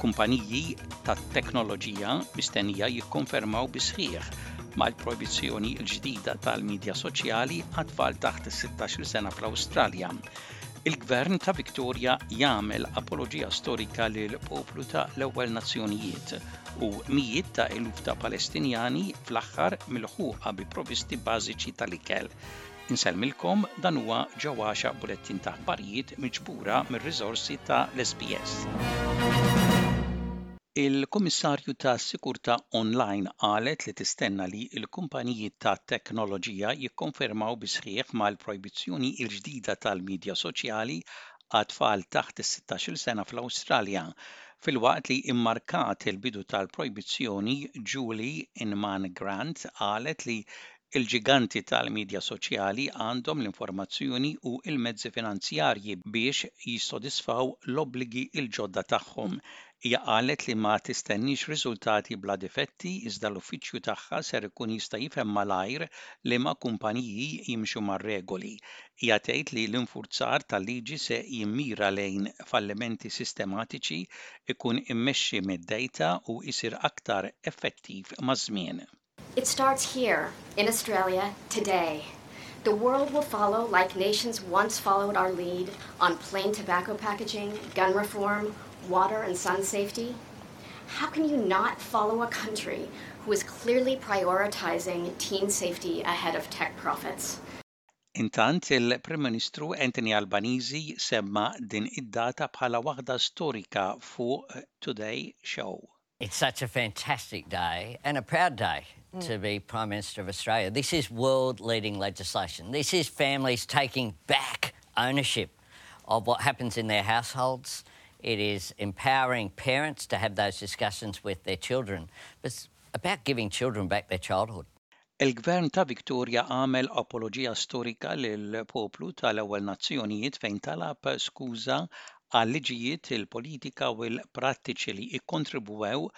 Kumpaniji tat-teknoloġija mistennija jikkonfermaw bis-sħiħ mal-projbizzjoni l-ġdida tal-midja soċjali għat-tfal taħt is-16-il sena fl-Awstralja. Il-Gvern ta' Victoria jagħmel apoloġija storika lil poplu ta' l-ewwel nazzjonijiet u mijiet ta' eluf ta' Palestinjani fl-aħħar milħuqa bi provisti bażiċi tal-ikel. Insellmilkom dan huwa ġewwaxa bulettin ta' aħbarijiet miġbura mir-riżorsi ta' l-SBS. Il-Kummissarju tas-Sikurtà Online qalet li tistenna li l-kumpaniji tat-teknoloġija jikkonfermaw bis-sħiħ mal-projbizzjoni l-ġdida tal-midja soċjali għat-tfal taħt is-16-il sena fl-Awstralja. Filwaqt li mmarkat il-bidu tal-projbizzjoni, Julie Inman Grant qalet li Il-ġiganti tal-midja soċjali għandhom l-informazzjoni u l-mezzi finanzjarji biex jissodisfaw l-obbligi l-ġodda tagħhom. Hija qalet li ma tistenniex riżultati bla difetti iżda l-uffiċċju tagħha ser ikun jista' jifhem malajr liema kumpaniji jimxu mar-regoli. Hija tgħid li l-infurzar tal-liġi se jimmira lejn fallimenti sistematiċi, ikun immexxi mid-data u jsir aktar effettiv maż-żmien. It starts here, in Australia, today. The world will follow like nations once followed our lead on plain tobacco packaging, gun reform, water and sun safety. How can you not follow a country who is clearly prioritizing teen safety ahead of tech profits? Intant, il-Prim Ministru Anthony Albanese semma din id-data bħala waħda storika fuq Today Show. It's such a fantastic day and a proud day mm. to be Prime Minister of Australia. This is world leading legislation. This is families taking back ownership of what happens in their households. It is empowering parents to have those discussions with their children. But it's about giving children back their childhood. Il-Gvern ta' Victoria għamel apoloġija storika lill-poplu tal-Ewwel Nazzjonijiet fejn talab skuża għal-liġijiet, il-politika u l-prattiċi li kkontribwew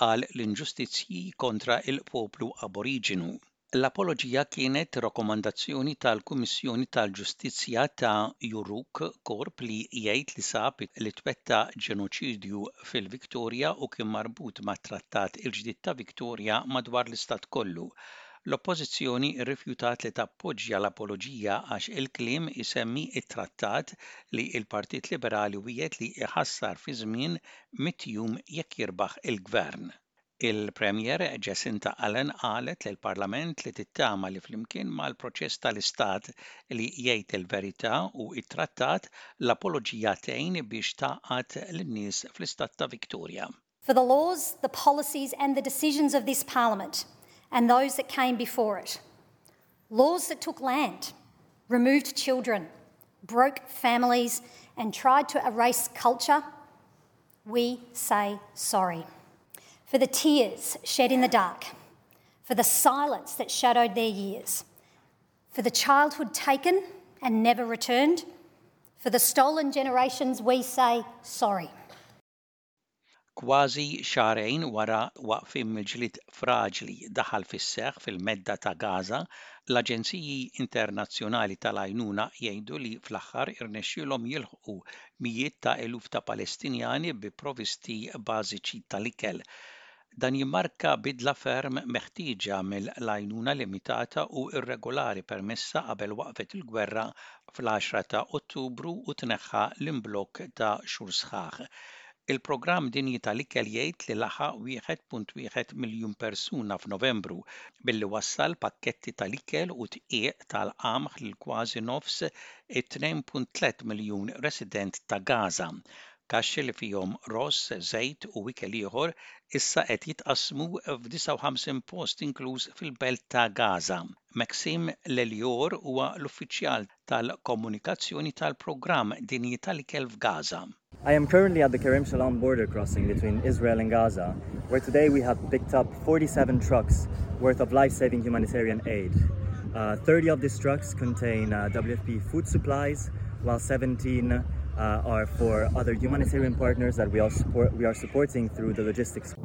għal l-inġustizzji kontra l-poplu Aboriġinu. L-apoloġija kienet rakkomandazzjoni tal-Kummissjoni tal-Ġustizzja ta' Yoorrook, korp li jgħid li sab li twettaq ġenoċidju fil-Victoria u kien marbut mat-Trattat il-Ġdid ta' Victoria madwar l-istat kollu. L-Oppożizzjoni rrifjutat li tappoġġja l-apoloġija għax il-kliem isemmi t-trattat li l-Partit Liberali wiegħed li jħassar fi żmien mitt jum jekk jirbaħ il-Gvern. Il-Premier Jacinta Allan qalet lill-Parlament li tittama li flimkien mal-proċess tal-Istat li jgħid il-verità u t-trattat, l-apoloġija tgħin biex tgħaqqad lin-nies fl-Istat ta' Victoria. For the laws, the policies and the decisions of this Parliament and those that came before it. Laws that took land, removed children, broke families and tried to erase culture, we say sorry. For the tears shed in the dark, for the silence that shadowed their years, for the childhood taken and never returned, for the stolen generations, we say sorry. Kważi xahrejn wara waqfien mill-ġlied fraġli daħal fis-seħħ fil-Medda ta' Gaza, l-aġenziji internazzjonali tal-għajnuna jgħidu li fl-aħħar irnexxielhom jilħqu mijiet ta' eluf ta' Palestinjani bi provisti bażiċi tal-ikel. Dan jimmarka bidla ferm meħtieġa mill-għajnuna limitata u irregolari permessa qabel waqfet il-gwerra fl-10 ta' Ottubru u tneħħa l-imblokk ta' xhur sħaħ. Il-Programm Dinji tal-Ikel jgħid li laħaq 1.1 miljun persuna f'Novembru billi wassal pakketti tal-ikel u dqiq tal-qamħ lil kważi nofs it-2.3 miljun resident ta' Gaza. Kaxxi li fihom ross, żejt u ikel ieħor issa qed jitqassmu f'59 post inkluż fil-belt ta' Gaza. Maxime Lelior huwa l-uffiċjal tal-komunikazzjoni tal-Programm Dinji tal-Ikel f'Gaza. I am currently at the Kerem Shalom border crossing between Israel and Gaza, where today we have picked up 47 trucks worth of life-saving humanitarian aid. Uh, 30 of these trucks contain uh, WFP food supplies, while 17 uh, are for other humanitarian partners that we are, support, we are supporting through the logistics.